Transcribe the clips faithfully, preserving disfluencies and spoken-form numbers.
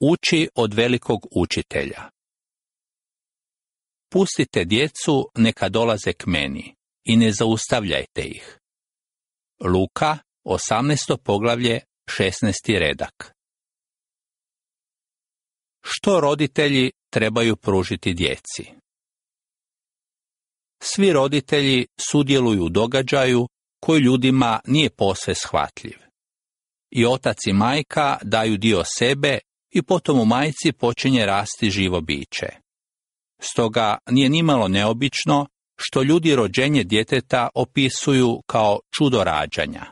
Uči od velikog učitelja. Pustite djecu neka dolaze k meni i ne zaustavljajte ih. Luka, osamnaesto poglavlje, šesnaesti redak. Što roditelji trebaju pružiti djeci? Svi roditelji sudjeluju u događaju koji ljudima nije posve shvatljiv. I otac i majka daju dio sebe i potom u majci počinje rasti živo biće. Stoga nije nimalo neobično što ljudi rođenje djeteta opisuju kao čudo rađanja.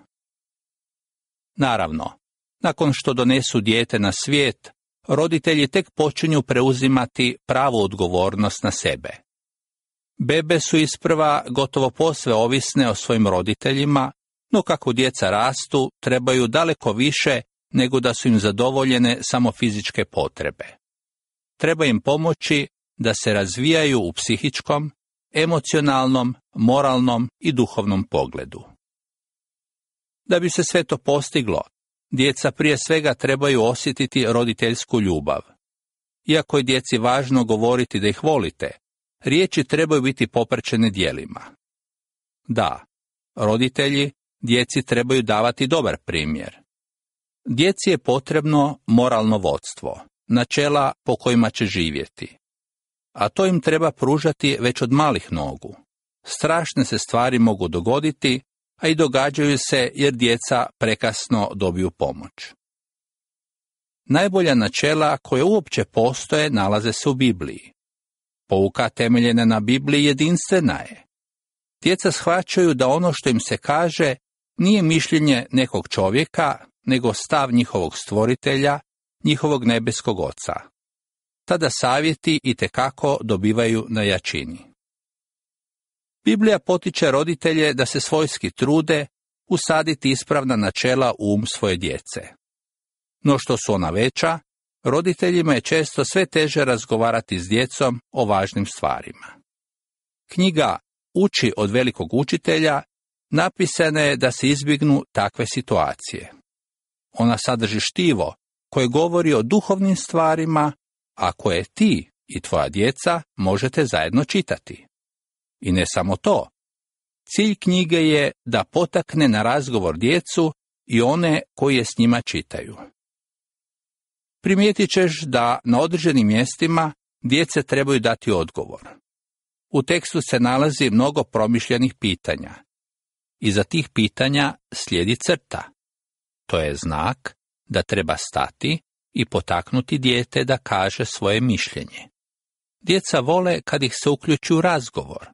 Naravno, nakon što donesu dijete na svijet, roditelji tek počinju preuzimati pravu odgovornost na sebe. Bebe su isprva gotovo posve ovisne o svojim roditeljima, no kako djeca rastu, trebaju daleko više nego da su im zadovoljene samo fizičke potrebe. Treba im pomoći da se razvijaju u psihičkom, emocionalnom, moralnom i duhovnom pogledu. Da bi se sve to postiglo, djeca prije svega trebaju osjetiti roditeljsku ljubav. Iako je djeci važno govoriti da ih volite, riječi trebaju biti popraćene djelima. Da, roditelji djeci trebaju davati dobar primjer. Djeci je potrebno moralno vodstvo, načela po kojima će živjeti. A to im treba pružati već od malih nogu. Strašne se stvari mogu dogoditi, a i događaju se jer djeca prekasno dobiju pomoć. Najbolja načela koje uopće postoje nalaze se u Bibliji. Pouka temeljena na Bibliji jedinstvena je. Djeca shvaćaju da ono što im se kaže nije mišljenje nekog čovjeka, nego stav njihovog stvoritelja, njihovog nebeskog oca. Tada savjeti itekako dobivaju na jačini. Biblija potiče roditelje da se svojski trude usaditi ispravna načela u um svoje djece. No što su ona veća, roditeljima je često sve teže razgovarati s djecom o važnim stvarima. Knjiga Uči od velikog učitelja napisana je da se izbjegnu takve situacije. Ona sadrži štivo koje govori o duhovnim stvarima, a koje ti i tvoja djeca možete zajedno čitati. I ne samo to. Cilj knjige je da potakne na razgovor djecu i one koji je s njima čitaju. Primijetit ćeš da na određenim mjestima djece trebaju dati odgovor. U tekstu se nalazi mnogo promišljenih pitanja. Iza tih pitanja slijedi crta. To je znak da treba stati i potaknuti dijete da kaže svoje mišljenje. Djeca vole kad ih se uključi u razgovor.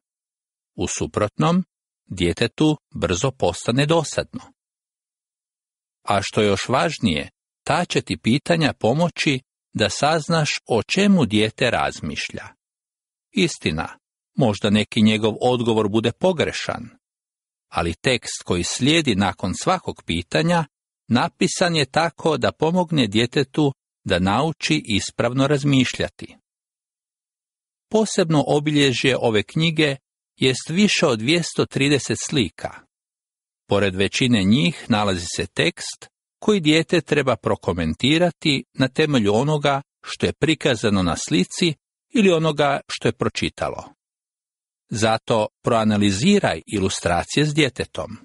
U suprotnom, djetetu brzo postane dosadno. A što je još važnije, ta će ti pitanja pomoći da saznaš o čemu dijete razmišlja. Istina, možda neki njegov odgovor bude pogrešan, ali tekst koji slijedi nakon svakog pitanja napisan je tako da pomogne djetetu da nauči ispravno razmišljati. Posebno obilježje ove knjige jest više od dvjesto trideset slika. Pored većine njih nalazi se tekst koji dijete treba prokomentirati na temelju onoga što je prikazano na slici ili onoga što je pročitalo. Zato proanaliziraj ilustracije s djetetom.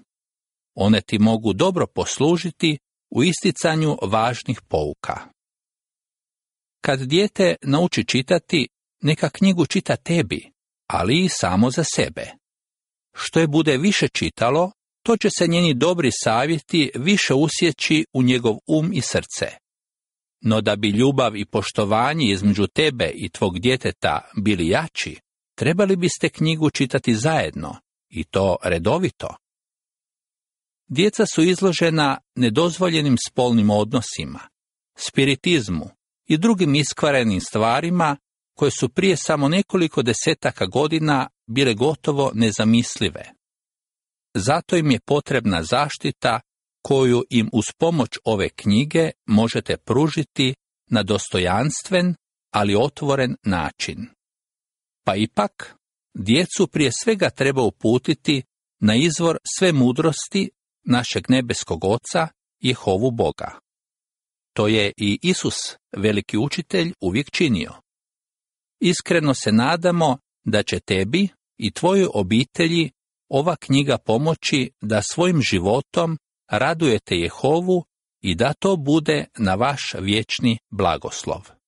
One ti mogu dobro poslužiti u isticanju važnih pouka. Kad dijete nauči čitati, neka knjigu čita tebi, ali i samo za sebe. Što je bude više čitalo, to će se njeni dobri savjeti više usjeći u njegov um i srce. No da bi ljubav i poštovanje između tebe i tvog djeteta bili jači, trebali biste knjigu čitati zajedno, i to redovito. Djeca su izložena nedozvoljenim spolnim odnosima, spiritizmu i drugim iskvarenim stvarima koje su prije samo nekoliko desetaka godina bile gotovo nezamislive. Zato im je potrebna zaštita koju im uz pomoć ove knjige možete pružiti na dostojanstven, ali otvoren način. Pa ipak, djecu prije svega treba uputiti na izvor sve mudrosti našeg nebeskog Oca, Jehovu Boga. To je i Isus, veliki učitelj, uvijek činio. Iskreno se nadamo da će tebi i tvojoj obitelji ova knjiga pomoći da svojim životom radujete Jehovu i da to bude na vaš vječni blagoslov.